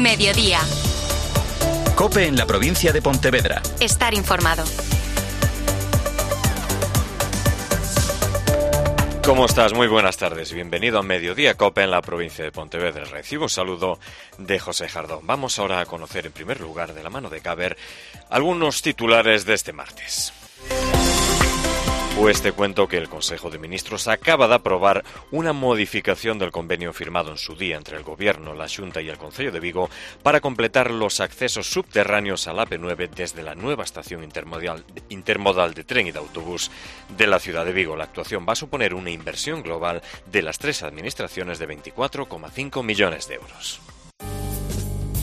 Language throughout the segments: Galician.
Mediodía. COPE en la provincia de Pontevedra. Estar informado. ¿Cómo estás? Muy buenas tardes. Bienvenido a Mediodía COPE en la provincia de Pontevedra. Recibo un saludo de José Jardón. Vamos ahora a conocer en primer lugar, de la mano de Caber, algunos titulares de este martes. Pues te cuento que el Consejo de Ministros acaba de aprobar una modificación del convenio firmado en su día entre el Gobierno, la Xunta y el Concello de Vigo para completar los accesos subterráneos al AP9 desde la nueva estación intermodal de tren y de autobús de la ciudad de Vigo. La actuación va a suponer una inversión global de las tres administraciones de 24,5 millones de euros.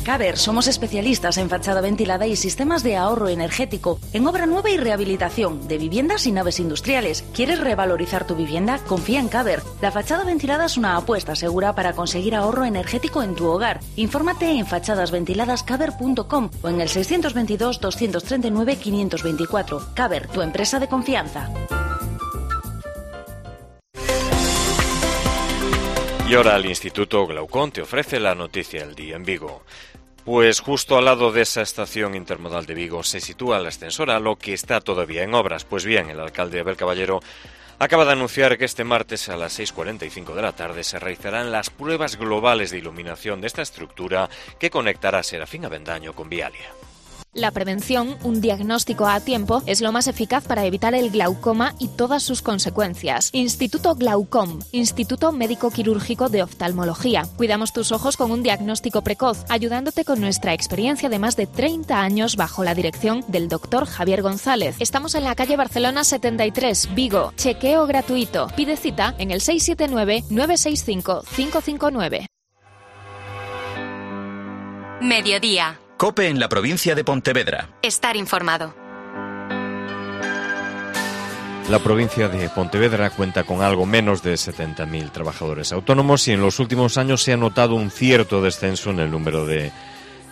Caber, somos especialistas en fachada ventilada y sistemas de ahorro energético, en obra nueva y rehabilitación, de viviendas y naves industriales. ¿Quieres revalorizar tu vivienda? Confía en Caber. La fachada ventilada es una apuesta segura para conseguir ahorro energético en tu hogar. Infórmate en fachadasventiladascaber.com o en el 622-239-524. Caber, tu empresa de confianza. Y ahora el Instituto Glaucón te ofrece la noticia del día en Vigo. Pues justo al lado de esa estación intermodal de Vigo se sitúa el ascensor Halo, que está todavía en obras. Pues bien, el alcalde Abel Caballero acaba de anunciar que este martes a las 6:45 de la tarde se realizarán las pruebas globales de iluminación de esta estructura que conectará Serafín Avendaño con Vialia. La prevención, un diagnóstico a tiempo, es lo más eficaz para evitar el glaucoma y todas sus consecuencias. Instituto Glaucom, Instituto Médico Quirúrgico de Oftalmología. Cuidamos tus ojos con un diagnóstico precoz, ayudándote con nuestra experiencia de más de 30 años bajo la dirección del doctor Javier González. Estamos en la calle Barcelona 73, Vigo. Chequeo gratuito. Pide cita en el 679-965-559. Mediodía. COPE en la provincia de Pontevedra. Estar informado. La provincia de Pontevedra cuenta con algo menos de 70.000 trabajadores autónomos y en los últimos años se ha notado un cierto descenso en el número de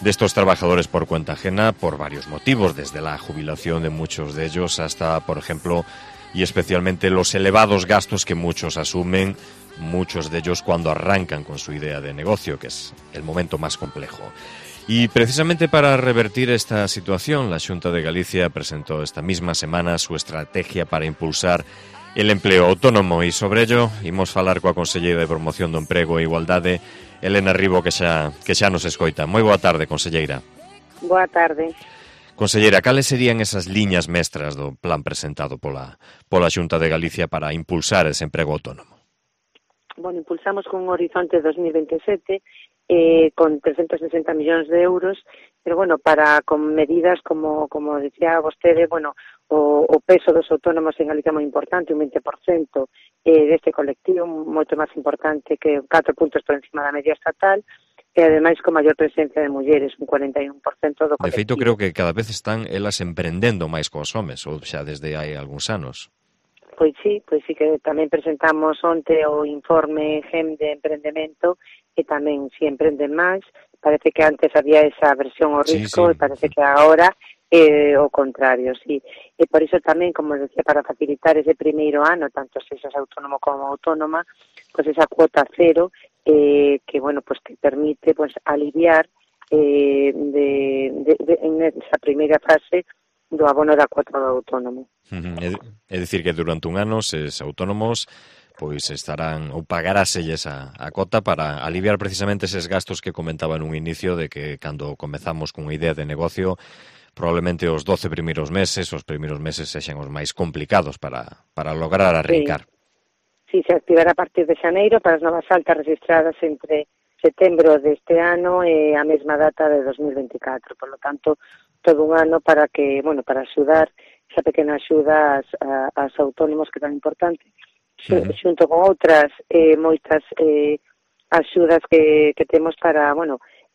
estos trabajadores por cuenta ajena por varios motivos, desde la jubilación de muchos de ellos hasta, por ejemplo, y especialmente los elevados gastos que muchos asumen, muchos de ellos cuando arrancan con su idea de negocio, que es el momento más complejo. Y precisamente para revertir esta situación, la Xunta de Galicia presentó esta misma semana su estrategia para impulsar el empleo autónomo e sobre ello imos falar coa conselleira de Promoción do Emprego e Igualdade, Elena Ribo, que xa nos escoita. Moi boa tarde, conselleira. Boa tarde. Conselleira, cales serían esas liñas mestras do plan presentado pola Xunta de Galicia para impulsar ese emprego autónomo? Bueno, impulsamos con un horizonte 2027 con 360 millóns de euros, pero bueno, con medidas como decía vostede, bueno, o peso dos autónomos en Galicia moi importante, un 20% deste colectivo, moito máis importante que 4 puntos por encima da media estatal, e ademais con maior presencia de mulleres, un 41% do colectivo. De feito, creo que cada vez están elas emprendendo máis cos homes, ou xa desde hai algúns anos. Pois sí, que tamén presentamos onte o informe GEM de emprendemento e tamén si emprenden máis. Parece que antes había esa versión ao risco sí. E parece que agora é o contrario, sí. E por iso tamén, como decía, para facilitar ese primeiro ano, tanto se seas autónomo como autónoma, pois esa cuota cero que, bueno, pues te permite pues aliviar en esa primeira fase do abono da cuota do autónomo. É dicir que durante un ano os autónomos pois estarán ou pagaráselles a cota para aliviar precisamente eses gastos que comentaba nun inicio de que cando comezamos cunha idea de negocio probablemente os 12 primeiros meses sexan os máis complicados para lograr arrincar. Sí, se activará a partir de xaneiro para as novas altas registradas entre setembro deste ano e a mesma data de 2024, por lo tanto todo un ano para axudar esa pequena axuda aos autónomos que é tan importante, xunto con outras moitas axudas que temos para,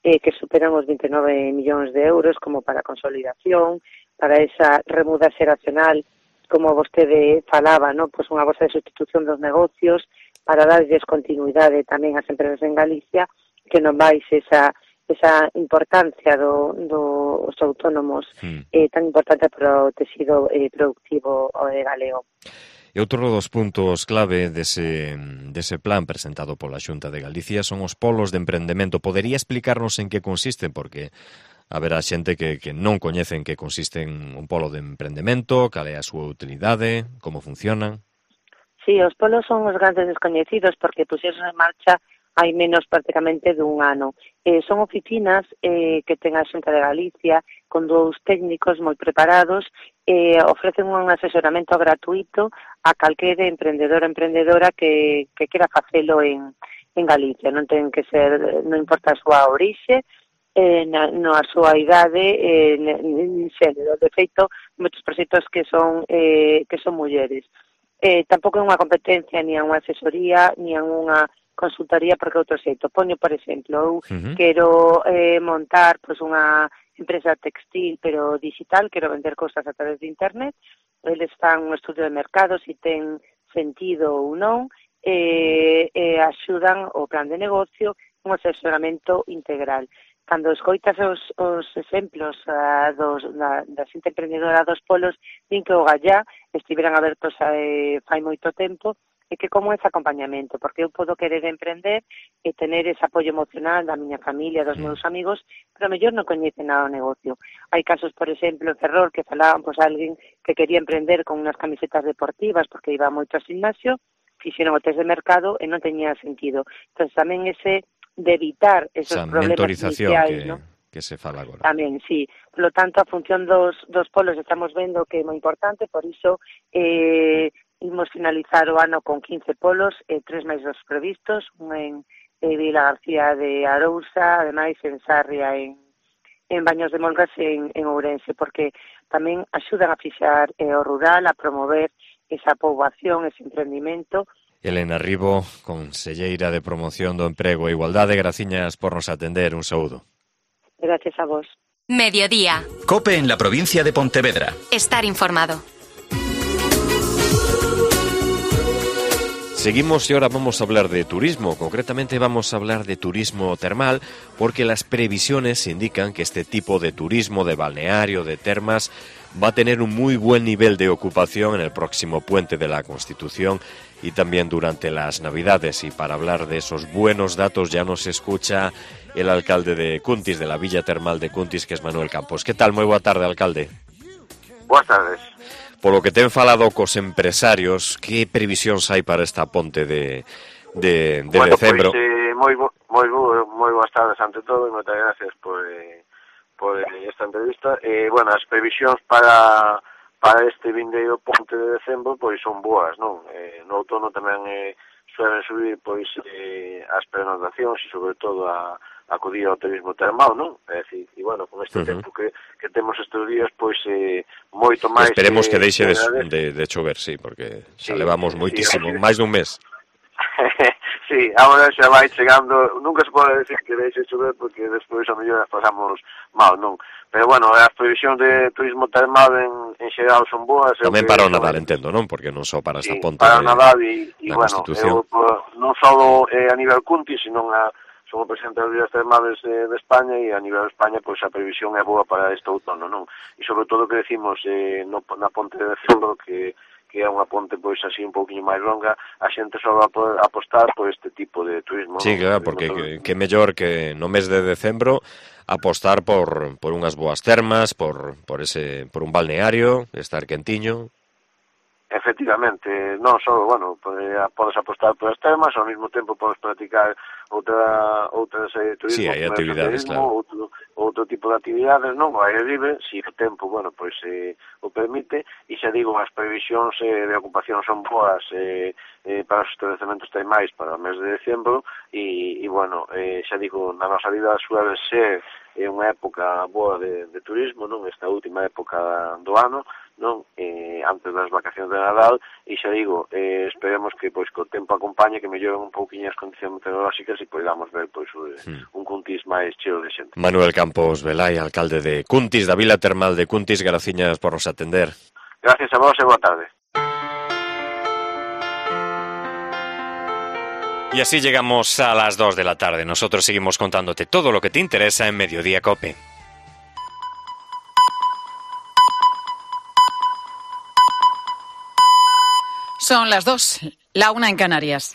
que superan os 29 millóns de euros, como para consolidación, para esa remuda xeracional, como vostede falaba, pois unha bolsa de sustitución dos negocios, para darlles continuidade tamén ás empresas en Galicia, que non baixe esa importancia dos autónomos tan importante para o tecido productivo galego. E outro dos puntos clave dese plan presentado pola Xunta de Galicia son os polos de emprendemento. Podería explicarnos en que consisten? Porque haberá xente que non coñece en que consisten un polo de emprendemento, cal é a súa utilidade, como funcionan. Sí, os polos son os grandes descoñecidos porque puxeron en marcha hai menos prácticamente dun ano. Son oficinas que ten a Xunta de Galicia con dous técnicos moi preparados, ofrecen un asesoramento gratuito a calquera emprendedor ou emprendedora que quera facelo en Galicia. Non ten que ser, non importa a súa orixe, a súa idade, nin xénero. De feito, moitos proxectos que son mulleres. Tampouco é unha competencia, ni unha asesoría, ni unha consultoría, porque outro xeito. Poño, por exemplo, eu quero montar unha empresa textil, pero digital, quero vender cousas a través de internet, eles fan un estudio de mercado, se ten sentido ou non, axudan o plan de negocio, un asesoramento integral. Cando escoitas os exemplos da xente emprendedora dos polos, din que o gallá estiveran abertos fai moito tempo, e que como ese acompañamento, porque eu podo querer emprender e tener ese apoio emocional da miña familia, dos meus amigos, pero mellor non coñecen nada o negocio. Hai casos, por exemplo, en Ferrol, que falaban, alguén que quería emprender con unhas camisetas deportivas porque iba moito ao gimnasio, fixeron o test de mercado e non teñía sentido. Entón, tamén ese de evitar esos problemas iniciais, ¿no? Que se fala agora. Tamén, sí. Por lo tanto, a función dos polos estamos vendo que é moi importante, por iso imos finalizar o ano con 15 polos, 3 máis dos previstos, un en Vila García de Arousa, ademais en Sarria, en Baños de Molgas e en Ourense, porque tamén axudan a fixar o rural, a promover esa poboación, ese emprendimento. Elena Ribo, conselleira de Promoción do Emprego e Igualdade, graciñas por nos atender. Un saúdo. Gracias a vos. Mediodía. COPE en la provincia de Pontevedra. Estar informado. Seguimos y ahora vamos a hablar de turismo, concretamente vamos a hablar de turismo termal, porque las previsiones indican que este tipo de turismo, de balneario, de termas, va a tener un muy buen nivel de ocupación en el próximo puente de la Constitución y también durante las Navidades. Y para hablar de esos buenos datos ya nos escucha el alcalde de Cuntis, de la Villa Termal de Cuntis, que es Manuel Campos. ¿Qué tal? Muy boa tarde, alcalde. Boas tardes. Polo que ten falado cos empresarios, que previsións hai para esta ponte de decembro? Moi boas tardes ante todo e moitas gracias por esta entrevista. As previsións para este vindeiro ponte de decembro pois son boas, non? No outono tamén suelen subir pois as pernoctacións e sobre todo a acudir ao turismo termal, non? É dicir, con este tempo que temos estes días, pois moito máis... Esperemos que deixe de chover, sí, porque xa levamos moitísimo, máis dun mes. Sí, agora xa vai chegando, nunca se pode decir que deixe de chover porque despois a mellor as pasamos mal, non? Pero as previsións de turismo termal en xeral son boas. Tamén para o Nadal, entendo, non? Porque non só para esta ponte para o Nadal e Constitución. Non só a nivel Cuntis, sino son o presidente das Villas Termales de España e a nivel de España pois a previsión é boa para este outono, non? E sobre todo que decimos na ponte de decembro que é unha ponte pois así un pouquinho máis longa, a xente só va a apostar por este tipo de turismo. Sí, claro, porque que mellor que no mes de decembro apostar por unhas boas termas, por un balneario, estar quentiño. Efectivamente, non só, podes apostar por as termas, ao mesmo tempo podes practicar outra serie de turismo. Sí, hai actividades, claro. Outro tipo de actividades, non? O aire libre, se o tempo, o permite, e xa digo, as previsións de ocupación son boas para os establecementos termais para o mes de decembro, e xa digo, na nosa vida suele ser unha época boa de turismo, non? Esta última época do ano, non? Antes das vacacións de Nadal, e xa digo, esperemos que co tempo acompañe, que melloren un pouquinho as condicións meteorolóxicas e podamos ver un Cuntis máis cheo de xente. Manuel Campos Velay, alcalde de Cuntis, da Vila Termal de Cuntis, graciñas por nos atender. Gracias a vos e boa tarde. Y así llegamos a las 2 de la tarde. Nosotros seguimos contándote todo lo que te interesa en Mediodía COPE. Son las 2, la 1 en Canarias.